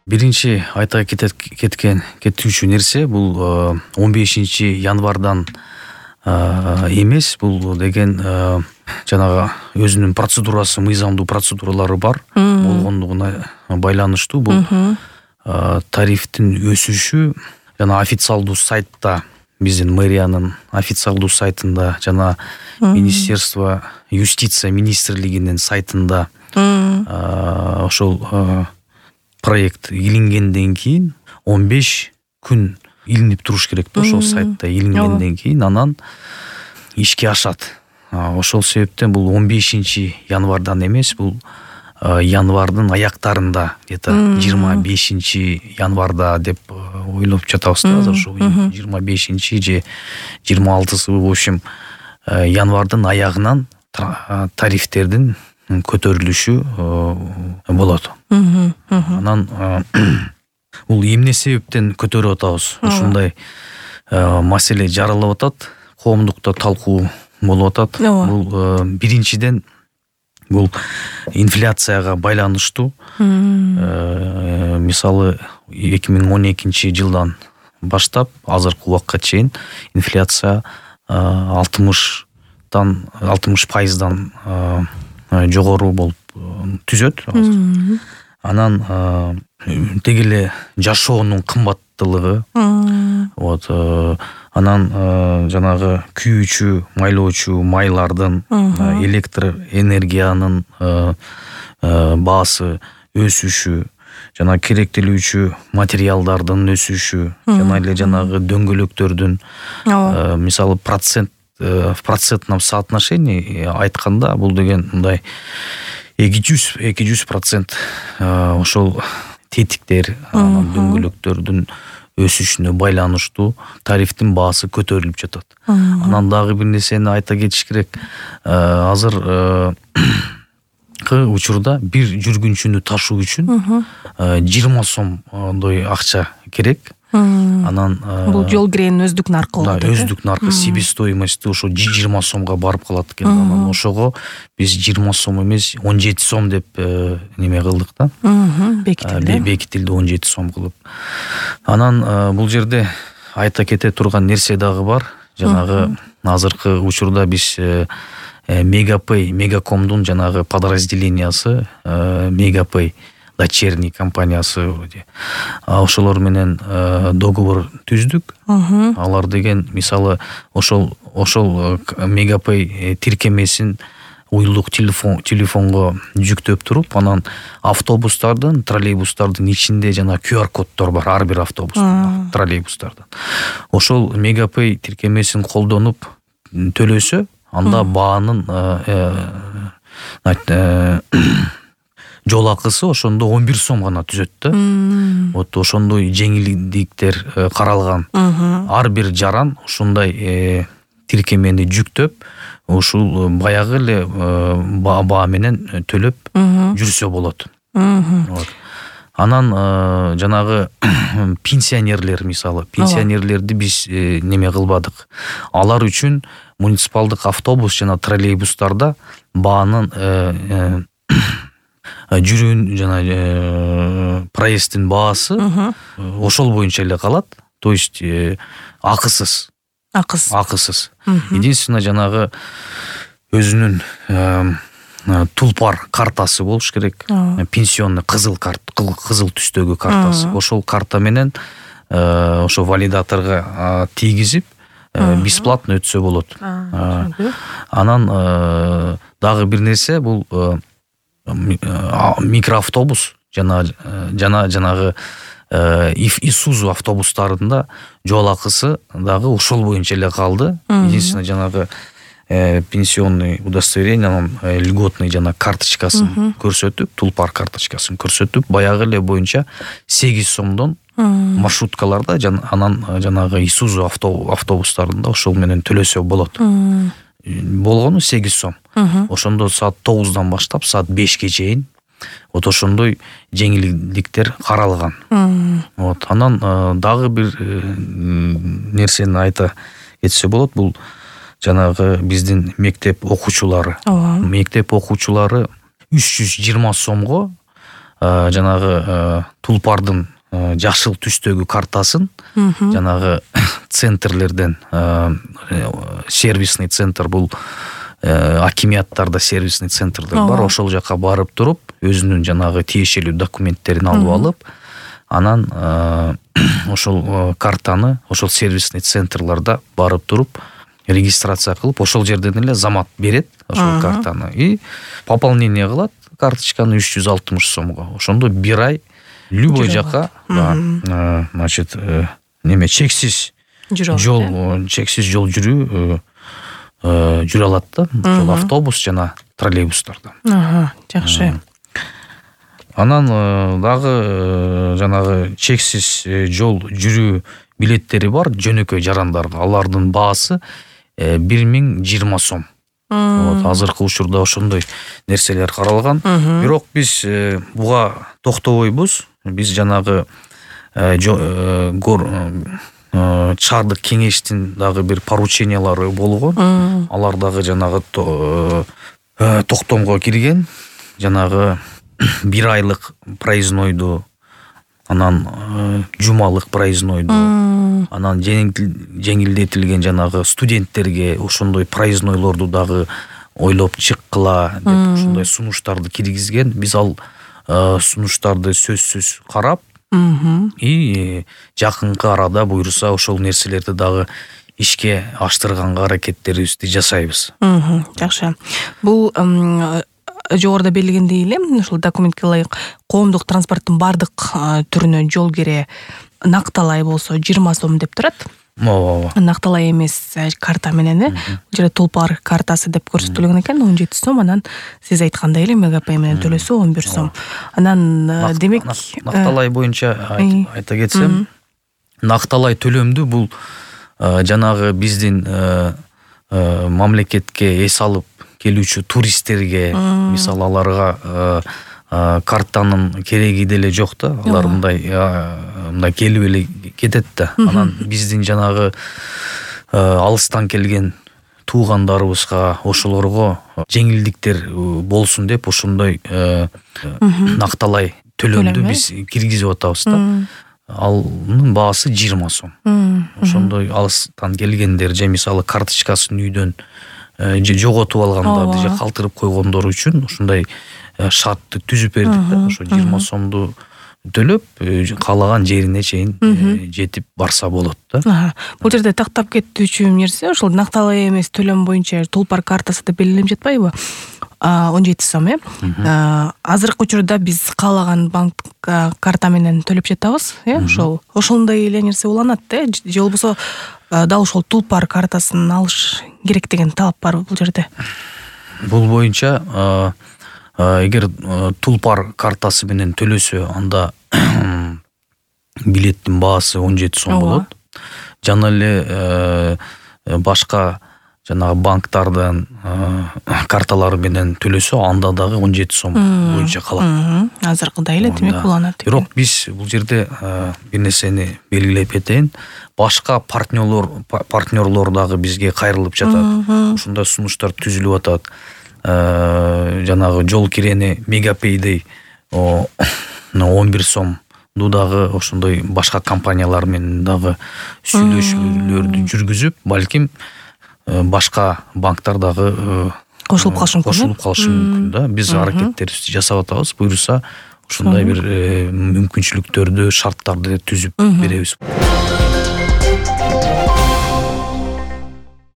Биринчи айта кетүүчү нерсе бул 15 январдан эмес, бул деген жанагы өзүнүн процедурасы, мыйзамдуу процедуралары бар болгондугуна байланыштуу. Бул тарифтин өсүшү жана официалдуу сайтта, биздин мэриянын официалдуу сайтында жана Министерство юстиция министрлигинин сайтында ошол проект илингенден кийин 15 күн илинип туруш керек да, ошол сайтта илингенден кийин анан ишке ашат. Ошол себептен бул 15 январдан эмес, бул январдын аяктарында, где-то 25 январда деп ойлоп жатабыз да азыр. Ошо 25 же 26-сы, в общем, январдын аягынан тарифтердин көтөрүлүшү болот. Анан бул эмне себептен көтөрүп атабыз? Ушундай маселе жаралып атат, коомдукта талкуу болуп атат. Бул биринчиден бул инфляцияга байланыштуу. Мисалы 2012 жылдан баштап азыркы убакка чейин инфляция 60% жогору болуп түзөт. Анан деги эле жашоонун кымбаттуулугу, анан жанагы күйүүчү, майлоочу майлардын, электр энергиянын баасы өсүшү, жана керектелүүчү материалдардын өсүшү, жана эле жанагы дөңгөлөктөрдүн мисалы в процентном соотношении айтканда бул деген мындай 200% ошол тетиктер, дөңгөлөктөрдүн өсүшүнө байланыштуу тарифтин баасы көтөрүлүп жатат. Анан дагы бир нерсени айта кетиш керек. Азыр учурда бир жүргүнчүнү ташуу үчүн 20 сомдой акча керек. Анан бул жол киренин өздүк наркы болот. Өздүк наркы, себестоимости ошо 20 сомго барып калат экен. Анан ошого биз 20 сом эмес 17 сом деп неме кылдык да. Бекитилди 17 сом кылып. Анан бул жерде айта кете турган нерсе дагы бар. Жанагы азыркы учурда биз Мегапэй, Мегакомдун жанагы подразделениясы, Мегапэй дочерний компаниясы, ошолор менен договор түздүк. Алар деген мисалы ошол Мегапэй тиркемесин уюлдук телефонго жүктөп туруп, анан автобустардын, троллейбустардын ичинде жана QR коддор бар ар бир автобустун, троллейбустардын. Ошол Мегапэй тиркемесин колдонуп төлөсө, анда баанын жол акысы ошондо 11 сом гана түзөт да. Вот ошондой жеңилдиктер каралган. Ар бир жаран ушундай тиркемени жүктөп, ушул баягы эле баа менен төлөп жүрсө болот. Анан жанагы пенсионерлер, мисалы, пенсионерлерди биз неме кылбадык. Алар үчүн муниципалдык автобус жана троллейбустарда баанын жүрүүн жана проезддин баасы ошол боюнча эле калат. То есть акысыз. Единственное жанагы өзүнүн тулпар картасы болуш керек. Пенсионный кызыл түстөгү картасы. Ошол карта менен ошо валидаторго тийгизип бесплатно өтсө болот. Анан дагы бир нерсе, бул микроавтобус жанагы Исузу автобустарында жол акысы дагы ошол боюнча эле калды. Единственное жанагы пенсионный удостоверение, льготный жана карточкасын көрсөтүп, тулпар карточкасын көрсөтүп, баягы эле боюнча 8 сомдон маршруткаларда анан жанагы Исузу автобустарында ошол менен төлөсө болот. Болгону 8 сом. Ошондо саат 9-дан баштап саат 5-ке чейин вот ошондой жеңилдиктер каралган. Вот анан дагы бир нерсени айта кетсе болот. Бул жанагы биздин мектеп окуучулары. Мектеп окуучулары 320 сомго жанагы Тулпардын жашыл түстөгү картасын жанагы центрлерден, сервисный центр, бул акимияттарда сервисный центрлер бар, ошол жака барып туруп өзүнүн жанагы тиешелүү документтерин алып алып, анан ошол картаны ошол сервисный центрларда барып туруп регистрация кылып, ошол жерден эле замат берет ошол картаны и пополнение кылат карточканы 360 сомго. Ошондо бир ай любой жака, значит, чексиз жол жүрүү жүрө алат да, ошол автобус жана троллейбустарда. Жакшы. Анан дагы жанагы чексиз жол жүрүү билеттери бар жөнөкөй жарандарга. Алардын баасы 1020 сом. Азыркы учурда ошондой нерселер каралган. Бирок биз буга токтобойбуз. Биз жанагы шаардык кеңештин дагы бир поручениялары болгон. Алар дагы жанагы токтомго кирген. Жанагы бир айлык проезднойду, анан жумалык проезднойду, анан жеңилдетилген жанагы студенттерге ошондой проезднойлорду дагы ойлоп чыккыла деп ошондой сунуштарды киргизген. Биз ал сунуштарды сөзсүз карап и жакынкы арада буйруса ошол нерселерди дагы ишке аштырганга аракеттерибизди жасайбыз. Жакшы. Бул жогоруда белгилегендей эле ушул документке ылайык коомдук транспорттун бардык түрүнө жол кире накталай болсо 20 сом деп турат. Накталай эмес карта менен бул жерде Тулпар картасы деп көрсөтүлгөн экен, 17 сом. Анан сиз айткандай эле Мегапэй менен төлөсө 11 сом. Анан демек накталай боюнча айта кетсем, накталай төлөмдү бул жанагы биздин мамлекетке эс алып келүүчү туристтерге, мисалы аларга картанын кереги деле жок да, алар мындай келип эле кетет да. Анан биздин жанагы алыстан келген туугандарыбызга, ошолорго жеңилдиктер болсун деп ошондой накталай төлөмдү биз киргизип атабыз да. Анын баасы 20 сом. Ошондой алыстан келгендер же мисалы карточкасын үйдөн жоготуп алгандарды же калтырып койгондор үчүн ушундай шартты түзүп бердик да. Ошо 20 сомду төлөп каалаган жерине чейин жетип барса болот да. Бул жерде тактап кетүүчү нерсе ошол накталай эмес төлөм боюнча Тулпар картасы деп белгиленип жатпайбы? 17 сом, азыркы учурда биз каалаган банк карта менен төлөп жатабыз, ошондой эле нерсе уланат да, же болбосо дал ошол Тулпар картасын алыш керек деген талап бар бул жерде. Бул боюнча эгер Тулпар картасы менен төлөсө, анда билеттин баасы 17 сом болот. Жана эле башка жанагы банктардын карталары менен төлөсө, анда дагы 17 сом боюнча калат. Азыркыдай эле демек уланат. Бирок биз бул жерде бир нерсени белгилеп кетейин. Башка партнерлор дагы бизге кайрылып жатат. Ушундай сунуштар түзүлүп атат. Жанагы жол кирени Мегапэйдей 11 сомду дагы ошондой башка компаниялар менен дагы сүйлөшүүлөрдү жүргүзүп, балким башка банктар дагы кошулуп калышы мүмкүн да. Биз аракеттерибизди жасап атабыз. Буйруса ушундай бир мүмкүнчүлүктөрдү, шарттарды түзүп беребиз.